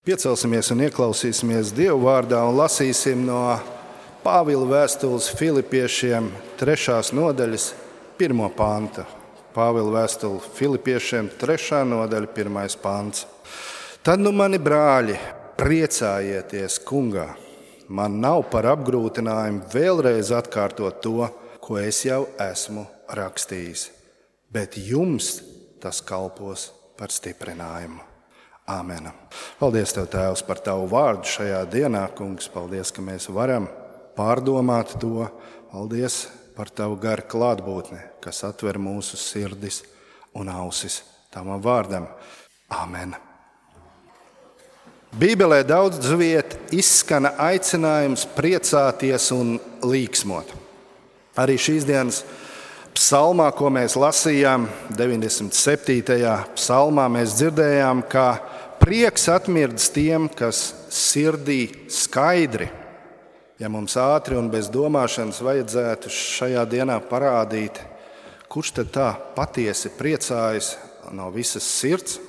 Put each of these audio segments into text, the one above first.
Piecelsimies un ieklausīsimies Dieva vārdā un lasīsim no Pāvila vēstules Filipiešiem 3. nodaļas 1. panta. Pāvila vēstule Filipiešiem 3. nodaļa 1. pants. Tad nu mani brāļi, priecājieties kungā. Man nav par apgrūtinājumu vēlreiz atkārtot to, ko es jau esmu rakstījis, bet jums tas kalpos par stiprinājumu. Āmen. Paldies Tev, Tēvs, par Tavu vārdu šajā dienā, kungs. Paldies, ka mēs varam pārdomāt to. Paldies par Tavu garu klātbūtni, kas atver mūsu sirdis un ausis Tavam vārdam. Āmen. Bībelē daudz viet izskana aicinājums priecāties un līksmot. Arī šīs dienas psalmā, ko mēs lasījām, 97. psalmā, mēs dzirdējām, ka prieks atmirdz tiem, kas sirdī skaidri. Ja mums ātri un bez domāšanas vajadzētu šajā dienā parādīt, kurš tad tā patiesi priecājas no visas sirds,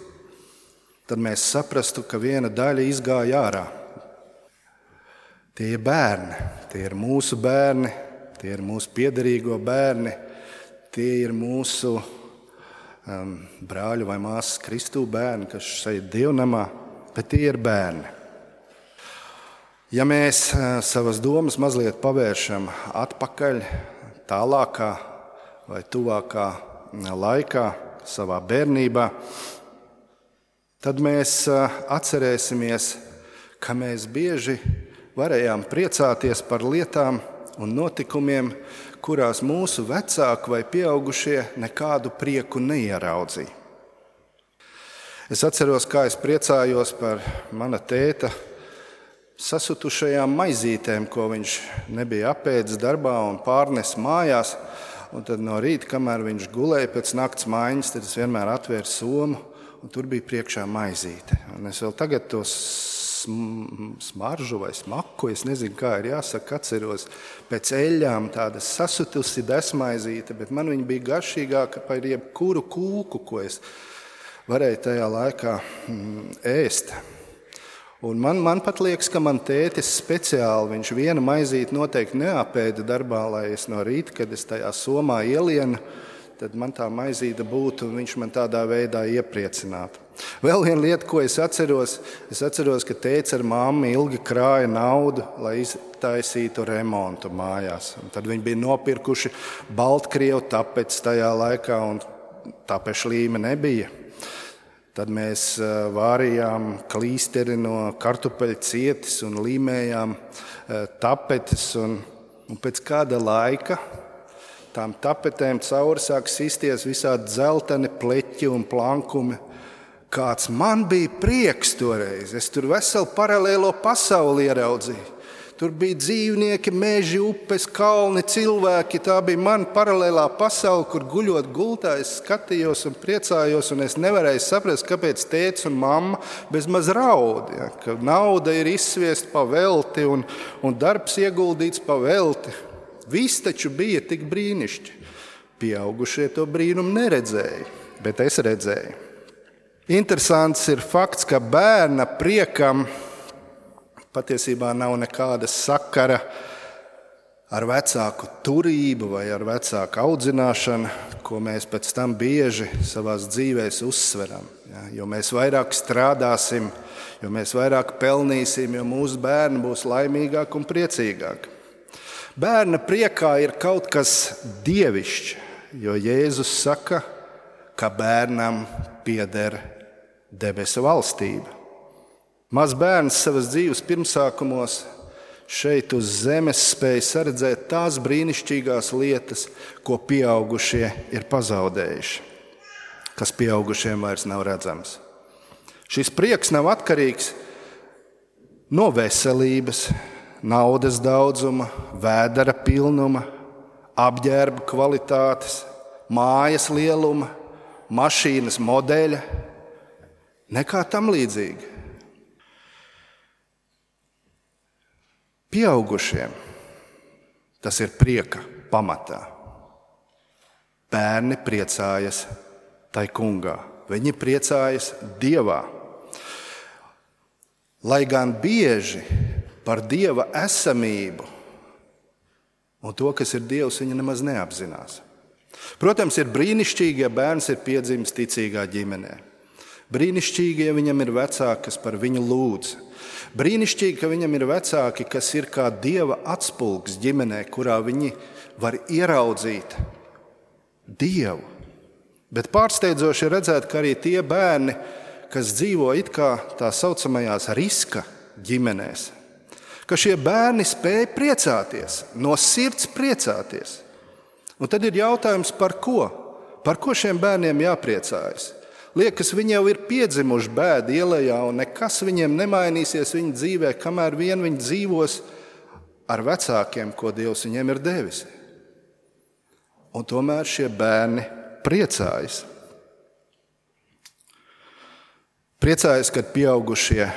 tad mēs saprastu, ka viena daļa izgāja ārā. Tie ir bērni, tie ir mūsu bērni, tie ir mūsu piederīgo bērni, tie ir mūsu brāļu vai māsas Kristū bērni, kas šeit dievnamā, bet tie ir bērni. Ja mēs savas domas mazliet pavēršam atpakaļ, tālākā vai tuvākā laikā, savā bērnībā, tad mēs atcerēsimies, ka mēs bieži varējām priecāties par lietām un notikumiem, kurās mūsu vecāki vai pieaugušie nekādu prieku neieraudzīja. Es atceros, kā es priecājos par mana tēta sasutušajām maizītēm, ko viņš nebija apēdis darbā un pārnes mājās. Un tad no rīta, kamēr viņš gulēja pēc nakts maiņas, tad es vienmēr atvēru somu, un tur bija priekšā maizīte. Un es vēl tagad tos smaržu vai smaku, es nezinu, kā ir jāsaka, atceros pēc eļļām tāda sasutusi desmaizīte, bet man viņa bija garšīgāka par jebkuru kūku, ko es varēju tajā laikā ēst. Un man pat liekas, ka man tētis speciāli, viņš vienu maizīti noteikti neapēda darbā, lai es no rīta, kad es tajā somā ielienu, tad man tā maizīte būtu un viņš man tādā veidā iepriecinātu. Vēl viena lieta, ko es atceros, ka tēvs ar mammu ilgi krāja naudu, lai iztaisītu remontu mājās. Un tad viņi bija nopirkuši Baltkrievu tapeci tajā laikā, un tapešu līme nebija. Tad mēs vārījām klīsteri no kartupeļu cietis un līmējām tapetes. Un pēc kāda laika tām tapetēm cauri sāk sisties visādi dzelteni pleķi un plankumi. Kāds man bija prieks toreiz. Es tur veselu paralēlo pasauli ieraudzīju. Tur bija dzīvnieki, meži, upes, kalni, cilvēki. Tā bija mana paralēlā pasaule, kur guļot gultā es skatījos un priecājos, un es nevarēju saprast, kāpēc tēvs un mamma bezmaz raud. Ja? Ka nauda ir izsviesta pa velti un darbs ieguldīts pa velti. Viss taču bija tik brīnišķi. Pieaugušie to brīnumu neredzēja, bet es redzēju. Interesants ir fakts, ka bērna priekam patiesībā nav nekāda sakara ar vecāku turību vai ar vecāku audzināšanu, ko mēs pēc tam bieži savās dzīvēs uzsveram. Ja, jo mēs vairāk strādāsim, jo mēs vairāk pelnīsim, jo mūsu bērni būs laimīgāki un priecīgāki. Bērna priekā ir kaut kas dievišķs, jo Jēzus saka, ka bērnam pieder debesu valstība. Maz bērns savas dzīves pirmsākumos šeit uz zemes spēja saredzēt tās brīnišķīgās lietas, ko pieaugušie ir pazaudējuši, kas pieaugušiem vairs nav redzams. Šis prieks nav atkarīgs no veselības, naudas daudzuma, vēdera pilnuma, apģērba kvalitātes, mājas lieluma, mašīnas modeļa, nekā tam līdzīga. Pieaugušiem tas ir prieka pamatā. Bērni priecājas tai kungā. Viņi priecājas Dievā. lai gan bieži par Dieva esamību un to, kas ir Dievs, viņa nemaz neapzinās. Protams, ir brīnišķīgi, ja bērns ir piedzimis ticīgā ģimenē. Brīnišķīgi, ja viņam ir vecāki, kas par viņu lūdz. Brīnišķīgi, ka viņam ir vecāki, kas ir kā Dieva atspulgs ģimenē, kurā viņi var ieraudzīt Dievu. Bet pārsteidzoši redzēt, ka arī tie bērni, kas dzīvo it kā tā saucamajās riska ģimenēs, ka šie bērni spēj priecāties, no sirds priecāties. Un tad ir jautājums, par ko? Par ko šiem bērniem jāpriecājas? Liekas, viņi jau ir piedzimuši bēdu ielējā, un nekas viņiem nemainīsies viņa dzīvē, kamēr vien viņi dzīvos ar vecākiem, ko Dievs viņiem ir devis. Un tomēr šie bērni priecājas. Priecājas, kad pieaugušie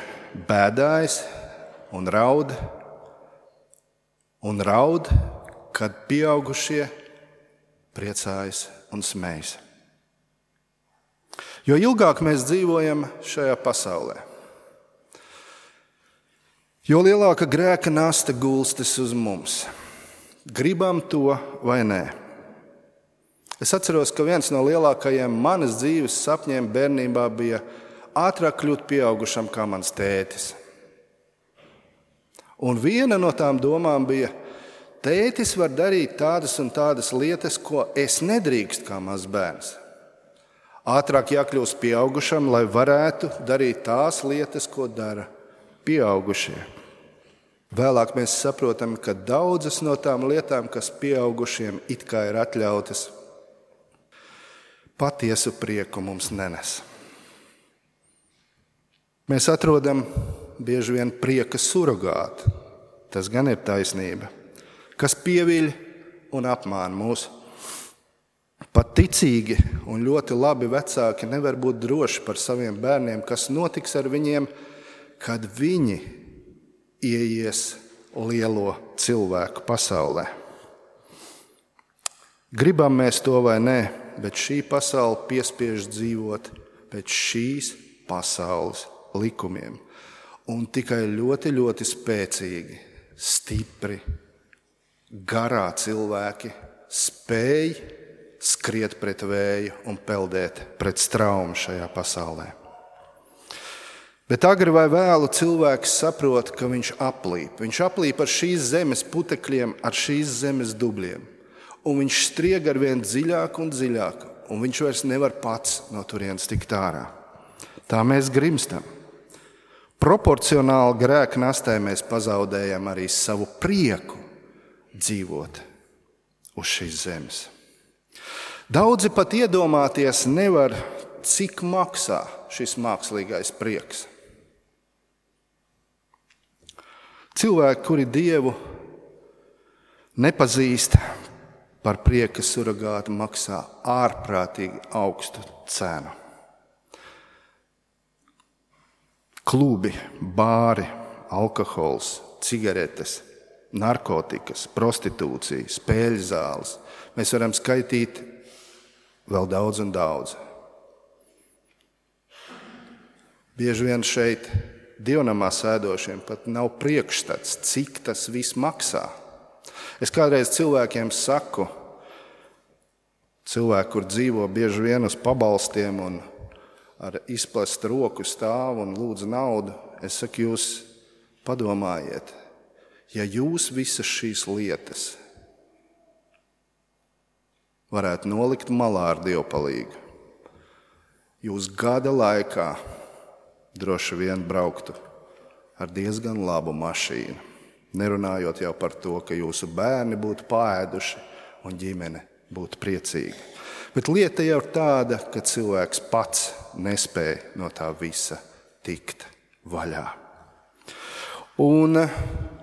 bēdājas un raud, kad pieaugušie priecājas un smējas. Jo ilgāk mēs dzīvojam šajā pasaulē, jo lielāka grēka nasta gulstas uz mums. Gribam to vai nē. Es atceros, ka viens no lielākajiem manas dzīves sapņiem bērnībā bija ātrāk kļūt pieaugušam kā mans tētis. Un viena no tām domām bija, tētis var darīt tādas un tādas lietas, ko es nedrīkst kā mazs bērns. Ātrāk jākļūst pieaugušam, lai varētu darīt tās lietas, ko dara pieaugušie. Vēlāk mēs saprotam, ka daudzas no tām lietām, kas pieaugušiem it kā ir atļautas, patiesu prieku mums nenes. Mēs atrodam bieži vien prieka surogātu, tas gan ir taisnība, kas pieviļ un apmāna mūs. Pat ticīgi un ļoti labi vecāki nevar būt droši par saviem bērniem, kas notiks ar viņiem, kad viņi ieies lielo cilvēku pasaulē. Gribam mēs to vai nē, bet šī pasaule piespiež dzīvot pēc šīs pasaules likumiem. Un tikai ļoti, ļoti spēcīgi, stipri, garā cilvēki spēj skriet pret vēju un peldēt pret straumu šajā pasaulē. Bet agri vai vēlu cilvēks saprot, ka viņš aplīp. Viņš aplīp ar šīs zemes putekļiem, ar šīs zemes dubļiem. Un viņš strieg ar vien dziļāk un dziļāk, un viņš vairs nevar pats no turienes tikt ārā. Tā mēs grimstam. Proporcionāli grēka nastē mēs pazaudējam arī savu prieku dzīvot uz šīs zemes. Daudzi pat iedomāties nevar, cik maksā šis mākslīgais prieks. Cilvēki, kuri Dievu nepazīst, par prieka surogātu maksā ārprātīgi augstu cenu. Klubi, bāri, alkohols, cigaretes, narkotikas, prostitūcija, spēļu zāles. Mēs varam skaitīt vēl daudz un daudz. Bieži vien šeit dievnamā sēdošiem pat nav priekšstats, cik tas viss maksā. Es kādreiz cilvēkiem saku, cilvēki, kur dzīvo bieži vien uz pabalstiem un ar izplastu roku stāv un lūdz naudu, es saku, jūs padomājiet, ja jūs visas šīs lietas varētu nolikt malā ar dievpalīgu, jūs gada laikā droši vien brauktu ar diezgan labu mašīnu, nerunājot jau par to, ka jūsu bērni būtu paēduši un ģimene būtu priecīga. Bet lieta jau ir tāda, ka cilvēks pats nespēja no tā visa tikt vaļā. Un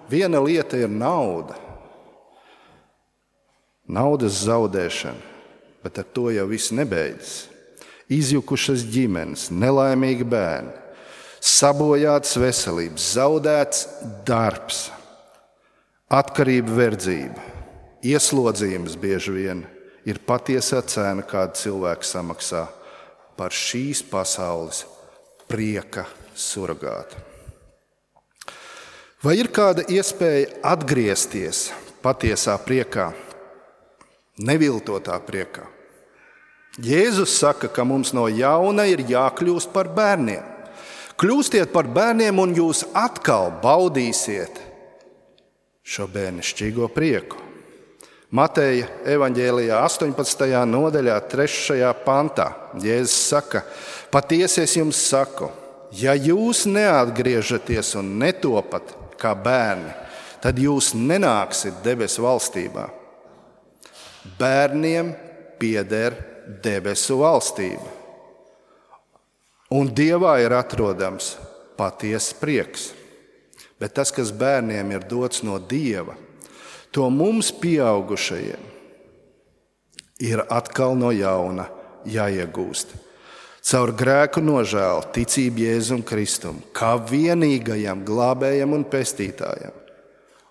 viena lieta ir nauda. Naudas zaudēšana, bet ar to jau viss nebeidzas. Izjukušas ģimenes, nelaimīgi bērni, sabojātas veselības, zaudēts darbs, atkarība, verdzība, ieslodzījums bieži vien ir patiesā cena, kādu cilvēku samaksā par šīs pasaules prieka surogātu. Vai ir kāda iespēja atgriezties patiesā priekā, neviltotā priekā? Jēzus saka, ka mums no jauna ir jākļūst par bērniem. Kļūstiet par bērniem un jūs atkal baudīsiet šo bērnišķīgo prieku. Mateja evaņģēlijā 18. nodaļā 3. pantā Jēzus saka, patiesi es jums saku, ja jūs neatgriežaties un netopat kā bērni, tad jūs nenāksiet debesu valstībā. Bērniem pieder debesu valstība, un Dievā ir atrodams patiesa prieks. Bet tas, kas bērniem ir dots no Dieva, to mums pieaugušajiem ir atkal no jauna jāiegūst. Caur grēku nožēlu, ticību Jēzum Kristum, kā vienīgajam glābējam un pestītājam,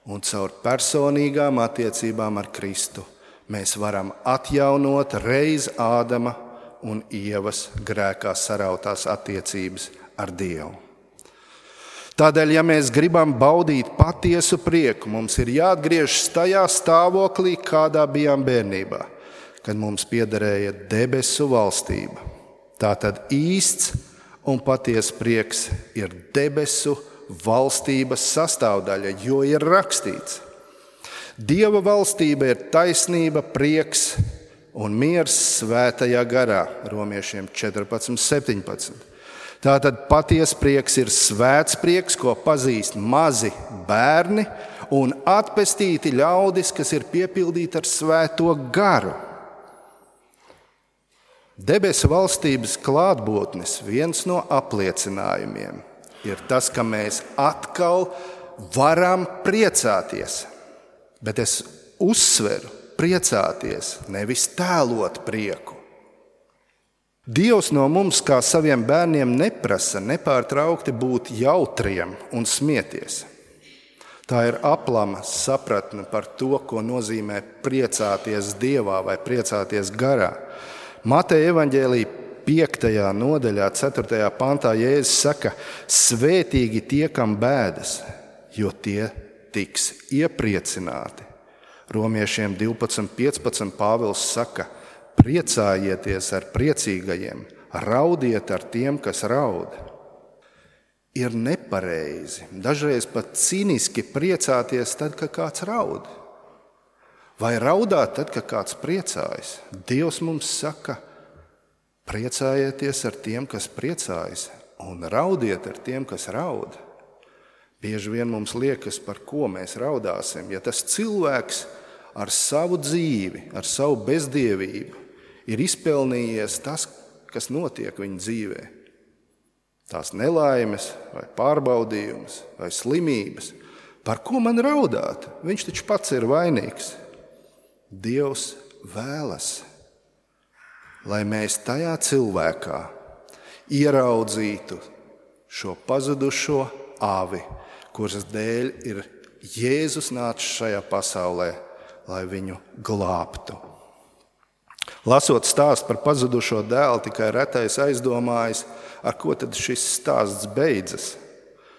un caur personīgām attiecībām ar Kristu mēs varam atjaunot reiz Ādama un Ievas grēkā sarautās attiecības ar Dievu. Tādēļ, ja mēs gribam baudīt patiesu prieku, mums ir jāatgriežas tajā stāvoklī, kādā bijām bērnībā, kad mums piederēja debesu valstība. Tātad īsts un patiesa prieks ir debesu valstības sastāvdaļa, jo ir rakstīts: Dieva valstība ir taisnība, prieks un miers svētajā garā, Romiešiem 14:17. Tātad patiesa prieks ir svēts prieks, ko pazīst mazi bērni un atpestīti ļaudis, kas ir piepildīti ar svēto garu. Debesu valstības klātbūtnes viens no apliecinājumiem ir tas, ka mēs atkal varam priecāties. Bet es uzsveru priecāties, nevis tēlot prieku. Dievs no mums, kā saviem bērniem, neprasa nepārtraukti būt jautriem un smieties. Tā ir aplama sapratne par to, ko nozīmē priecāties Dievā vai priecāties garā. Mateja evaņģēlija 5. nodaļā, 4. pantā Jēzus saka: svētīgi tie, kam bēdas, jo tie tiks iepriecināti. Romiešiem 12:15 Pāvils saka: priecājieties ar priecīgajiem, raudiet ar tiem, kas raud. Ir nepareizi, dažreiz pat cīniski priecāties tad, kad kāds raud. Vai raudāt tad, kad kāds priecājas? Dievs mums saka: priecājieties ar tiem, kas priecājas, un raudiet ar tiem, kas raud. Bieži vien mums liekas, par ko mēs raudāsim, ja tas cilvēks ar savu dzīvi, ar savu bezdievību ir izpelnījies tas, kas notiek viņa dzīvē. Tās nelaimes, vai pārbaudījums, vai slimības. Par ko man raudāt? Viņš taču pats ir vainīgs. Dievs vēlas, lai mēs tajā cilvēkā ieraudzītu šo pazudušo avi, kuras dēļ ir Jēzus nācis šajā pasaulē, lai viņu glābtu. Lasot stāstu par pazudušo dēlu, tikai retais aizdomājas, ar ko tad šis stāsts beidzas.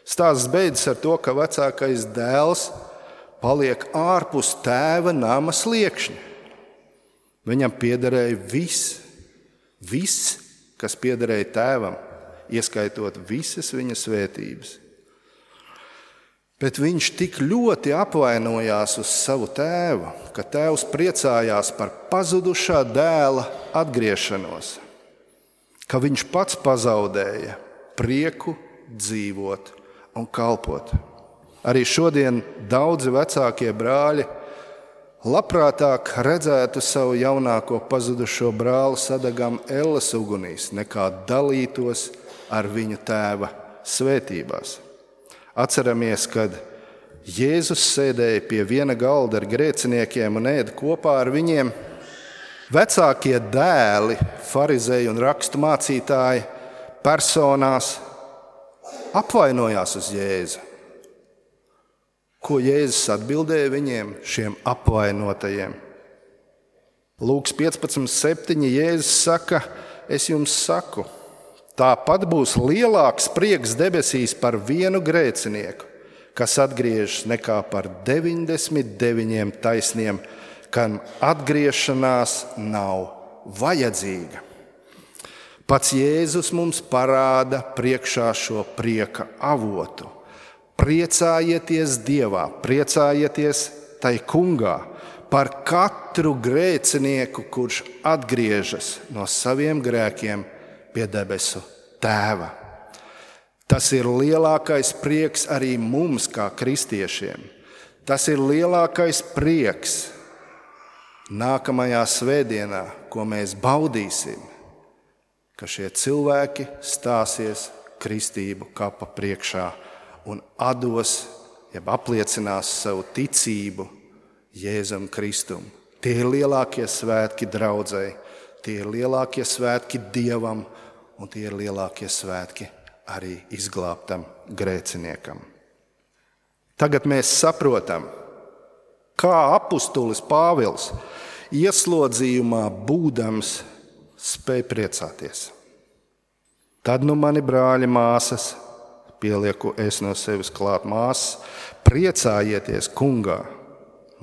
Stāsts beidzas ar to, ka vecākais dēls paliek ārpus tēva nama sliekšņa. Viņam piederēja viss, kas piederēja tēvam, ieskaitot visas viņa svētības. Bet viņš tik ļoti apvainojās uz savu tēvu, ka tēvs priecājās par pazudušā dēla atgriešanos, ka viņš pats pazaudēja prieku dzīvot un kalpot. Arī šodien daudzi vecākie brāļi labprātāk redzētu savu jaunāko pazudušo brāli sadegam elles ugunīs, nekā dalītos ar viņu tēva svētībās. Atceramies, kad Jēzus sēdēja pie viena galda ar grēciniekiem un ēda kopā ar viņiem. Vecākie dēli, farizēji un rakstu mācītāji personās apvainojās uz Jēzu. Ko Jēzus atbildēja viņiem, šiem apvainotajiem? Lūks 15:7 Jēzus saka: es jums saku, tāpat būs lielāks prieks debesīs par vienu grēcinieku, kas atgriežas nekā par 99 taisniem, kam atgriešanās nav vajadzīga. Pats Jēzus mums parāda priekšā šo prieka avotu. Priecājieties Dievā, priecājieties tai Kungā par katru grēcinieku, kurš atgriežas no saviem grēkiem pie debesu Tēva. Tas ir lielākais prieks arī mums, kā kristiešiem. Tas ir lielākais prieks nākamajā svētdienā, ko mēs baudīsim, ka šie cilvēki stāsies kristību kapa priekšā un atdos, jeb apliecinās savu ticību Jēzum Kristum. Tie ir lielākie svētki draudzei, tie ir lielākie svētki Dievam un tie ir lielākie svētki arī izglābtam grēciniekam. Tagad mēs saprotam, kā apustulis Pāvils ieslodzījumā būdams spēj priecāties. Tad mani brāļi, māsas, pielieku es no sevis klāt māsas, priecājieties Kungā.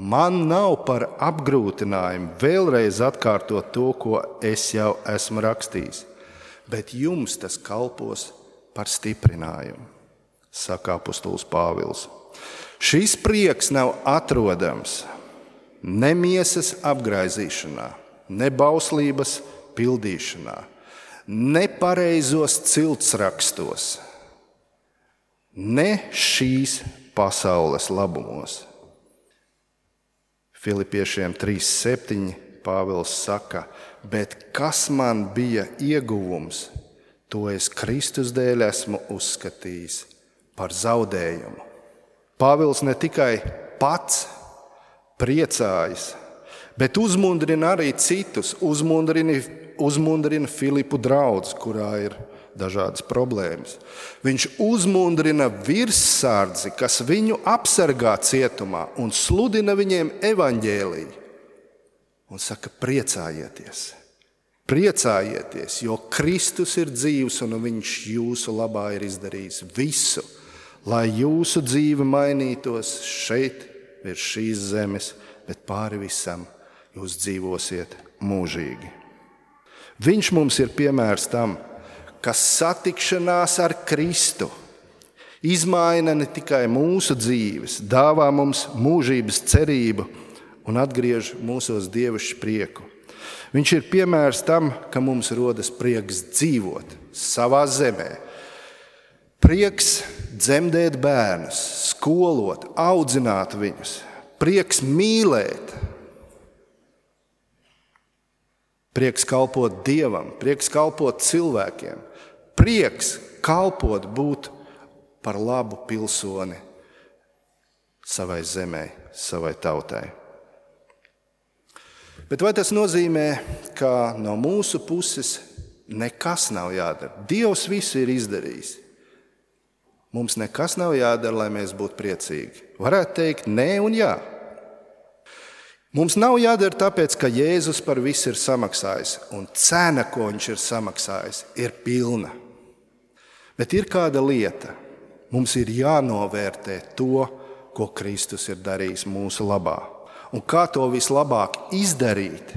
Man nav par apgrūtinājumu vēlreiz atkārtot to, ko es jau esmu rakstījis, bet jums tas kalpos par stiprinājumu, saka apustulis Pāvils. Šis prieks nav atrodams ne miesas apgraizīšanā, ne bauslības pildīšanā, ne pareizos ciltsrakstos, ne šīs pasaules labumos. Filipiešiem 3:7 Pāvils saka, bet kas man bija ieguvums, to es Kristus dēļ esmu uzskatījis par zaudējumu. Pāvils ne tikai pats priecājas, bet uzmundrina arī citus, uzmundrina Filipu draudzi, kurā ir dažādas problēmas. Viņš uzmundrina virssardzi, kas viņu apsargā cietumā un sludina viņiem evaņģēliju. Un saka, priecājieties, priecājieties, jo Kristus ir dzīvs un viņš jūsu labā ir izdarījis visu, lai jūsu dzīve mainītos šeit, virs šīs zemes, bet pāri visam jūs dzīvosiet mūžīgi. Viņš mums ir piemērs tam, ka satikšanās ar Kristu izmaina ne tikai mūsu dzīves, dāvā mums mūžības cerību un atgriež mūsos dievišķu prieku. Viņš ir piemērs tam, ka mums rodas prieks dzīvot savā zemē, prieks dzemdēt bērnus, skolot, audzināt viņus, prieks mīlēt, prieks kalpot Dievam, prieks kalpot cilvēkiem, prieks kalpot, būt par labu pilsoni savai zemē, savai tautai. Bet vai tas nozīmē, ka no mūsu puses nekas nav jādara? Dievs visu ir izdarījis. Mums nekas nav jādara, lai mēs būtu priecīgi. Varētu teikt nē un jā. Mums nav jādara tāpēc, ka Jēzus par visu ir samaksājis, un cena, ko viņš ir samaksājis, ir pilna. Bet ir kāda lieta. Mums ir jānovērtē to, ko Kristus ir darījis mūsu labā. Un kā to vislabāk izdarīt,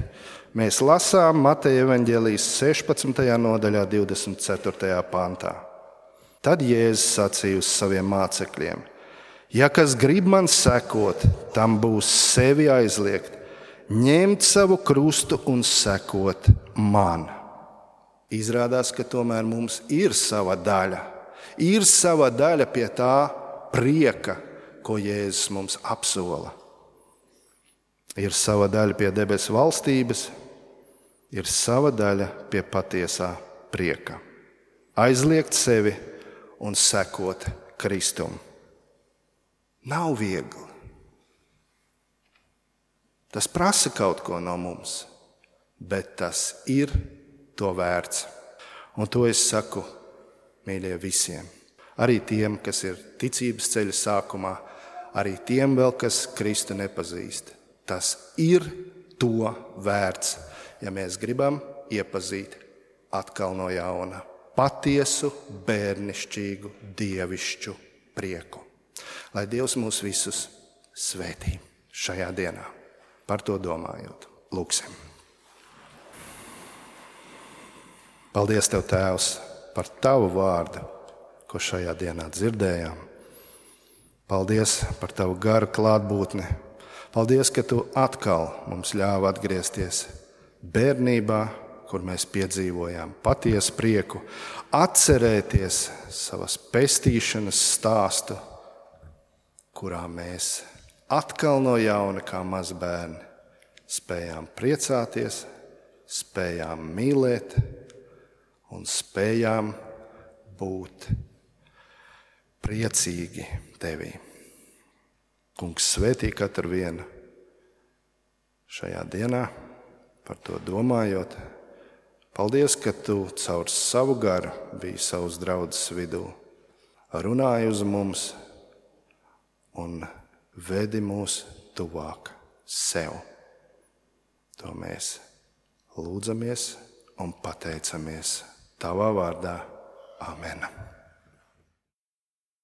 mēs lasām Mateja evaņģēlijas 16. nodaļā 24. pantā. Tad Jēzus sacīja uz saviem mācekļiem: ja kas grib man sekot, tam būs sevi aizliegt, ņemt savu krustu un sekot man. Izrādās, ka tomēr mums ir sava daļa. Ir sava daļa pie tā prieka, ko Jēzus mums apsola. Ir sava daļa pie debesu valstības, ir sava daļa pie patiesā prieka. Aizliegt sevi un sekot Kristum. Nav viegli. Tas prasa kaut ko no mums, bet tas ir to vērts. Un to es saku, mīļie, visiem. Arī tiem, kas ir ticības ceļa sākumā, arī tiem vēl, kas Kristu nepazīst. Tas ir to vērts, ja mēs gribam iepazīt atkal no jauna patiesu, bērnišķīgu, dievišķu prieku. Lai Dievs mūs visus svētī šajā dienā. Par to domājot, lūksim. Paldies Tev, Tēvs, par Tavu vārdu, ko šajā dienā dzirdējām. Paldies par Tavu garu klātbūtni. Paldies, ka Tu atkal mums ļāvi atgriezties bērnībā, kur mēs piedzīvojām patiesu prieku, atcerēties savas pestīšanas stāstu, kurā mēs atkal no jauna kā mazbērni spējām priecāties, spējām mīlēt un spējām būt priecīgi Tevī. Kungs, svētī katru vienu šajā dienā, par to domājot. Paldies, ka Tu caur savu garu biji savas draudzes vidū, runāji uz mums un vedi mūs tuvāk sev. To mēs lūdzamies un pateicamies Tavā vārdā. Amen.